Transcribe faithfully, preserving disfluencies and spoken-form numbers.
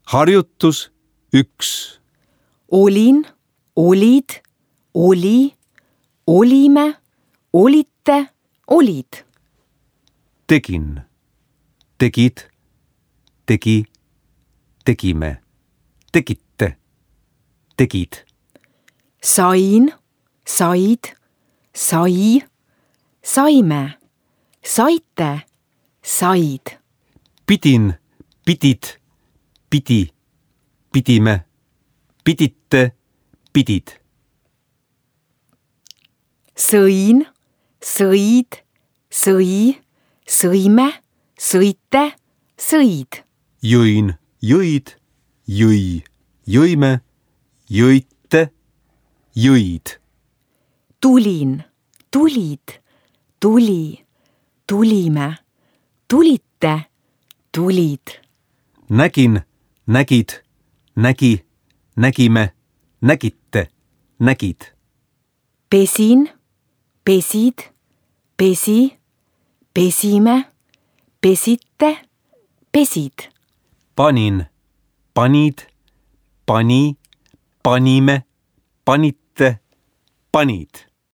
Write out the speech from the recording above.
Harjutus üks. Olin, olid, oli, olime, olite, olid. Tegin, tegid, tegi, tegime, tegite, tegid. Sain, said, sai, saime, saite, said. Pidin, pidid, pidi, pidime, pidite, pidid. Sõin, sõid, sõi, sõime, sõite, sõid. Jõin, jõid, jõi, jõime, jõite, jõid. Tulin, tulid, tuli, tulime, tulite, tulid. Nägin, nägid, nägi, nägime, nägite, nägid. Pesin, pesid, pesi, pesime, pesite, pesid. Panin, panid, pani, panime, panite, panid.